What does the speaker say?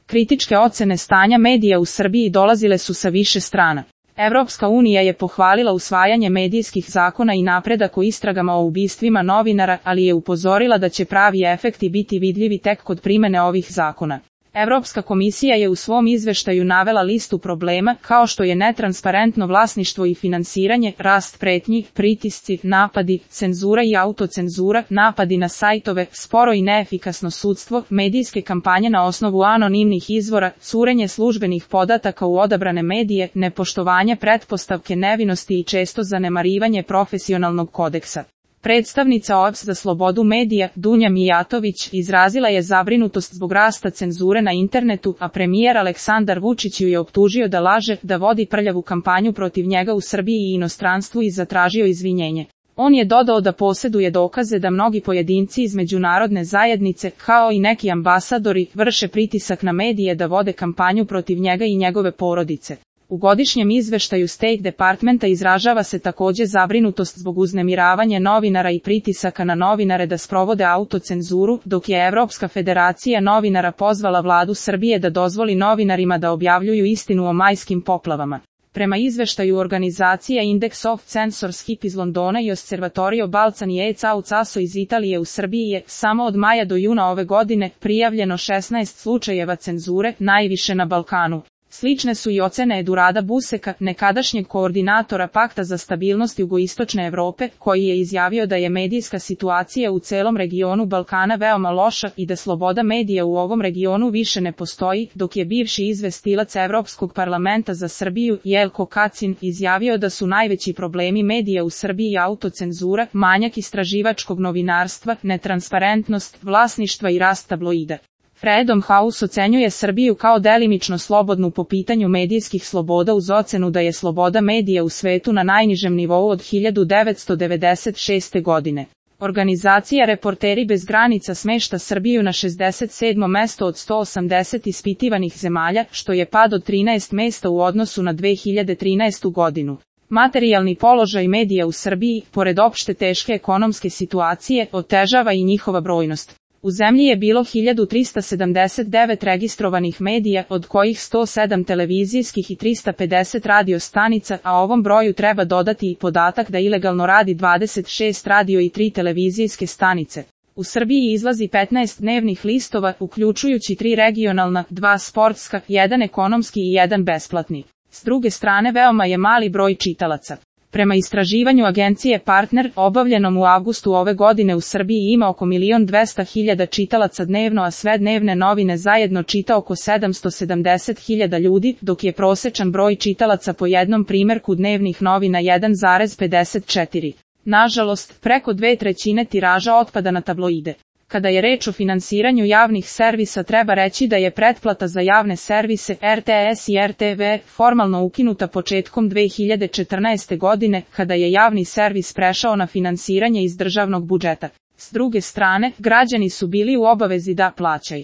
Kritičke ocene stanja medija u Srbiji dolazile su sa više strana. Evropska unija je pohvalila usvajanje medijskih zakona i napredak u istragama o ubistvima novinara, ali je upozorila da će pravi efekti biti vidljivi tek kod primene ovih zakona. Evropska komisija je u svom izveštaju navela listu problema, kao što je netransparentno vlasništvo i finansiranje, rast pretnji, pritisci, napadi, cenzura i autocenzura, napadi na sajtove, sporo i neefikasno sudstvo, medijske kampanje na osnovu anonimnih izvora, curenje službenih podataka u odabrane medije, nepoštovanje pretpostavke nevinosti i često zanemarivanje profesionalnog kodeksa. Predstavnica OEBS za slobodu medija, Dunja Mijatović, izrazila je zabrinutost zbog rasta cenzure na internetu, a premijer Aleksandar Vučić ju je optužio da laže, da vodi prljavu kampanju protiv njega u Srbiji i inostranstvu i zatražio izvinjenje. On je dodao da posjeduje dokaze da mnogi pojedinci iz međunarodne zajednice, kao i neki ambasadori, vrše pritisak na medije da vode kampanju protiv njega i njegove porodice. U godišnjem izveštaju State Departmenta izražava se također zabrinutost zbog uznemiravanja novinara i pritisaka na novinare da sprovode autocenzuru, dok je Evropska federacija novinara pozvala vladu Srbije da dozvoli novinarima da objavljuju istinu o majskim poplavama. Prema izveštaju organizacija Index of Censorship iz Londona i Osservatorio Balcani e Caucaso iz Italije u Srbiji je, samo od maja do juna ove godine, prijavljeno 16 slučajeva cenzure, najviše na Balkanu. Slične su i ocene Edurada Buseka, nekadašnjeg koordinatora Pakta za stabilnost jugoistočne Evrope, koji je izjavio da je medijska situacija u celom regionu Balkana veoma loša i da sloboda medija u ovom regionu više ne postoji, dok je bivši izvestilac Evropskog parlamenta za Srbiju, Jelko Kacin, izjavio da su najveći problemi medija u Srbiji autocenzura, manjak istraživačkog novinarstva, netransparentnost, vlasništva i rast tabloida. Freedom House ocenjuje Srbiju kao delimično slobodnu po pitanju medijskih sloboda uz ocenu da je sloboda medija u svetu na najnižem nivou od 1996. godine. Organizacija Reporteri bez granica smešta Srbiju na 67. mesto od 180 ispitivanih zemalja, što je pad od 13 mesta u odnosu na 2013. godinu. Materijalni položaj medija u Srbiji, pored opšte teške ekonomske situacije, otežava i njihova brojnost. U zemlji je bilo 1379 registrovanih medija, od kojih 107 televizijskih i 350 radio stanica, a ovom broju treba dodati i podatak da ilegalno radi 26 radio i 3 televizijske stanice. U Srbiji izlazi 15 dnevnih listova, uključujući 3 regionalna, 2 sportska, 1 ekonomski i 1 besplatni. S druge strane veoma je mali broj čitalaca. Prema istraživanju agencije Partner, obavljenom u avgustu ove godine u Srbiji ima oko 1.200.000 čitalaca dnevno, a sve dnevne novine zajedno čita oko 770.000 ljudi, dok je prosečan broj čitalaca po jednom primjerku dnevnih novina 1,54. Nažalost, preko 2/3 tiraža otpada na tabloide. Kada je reč o finansiranju javnih servisa, treba reći da je pretplata za javne servise RTS i RTV formalno ukinuta početkom 2014. godine, kada je javni servis prešao na finansiranje iz državnog budžeta. S druge strane, građani su bili u obavezi da plaćaju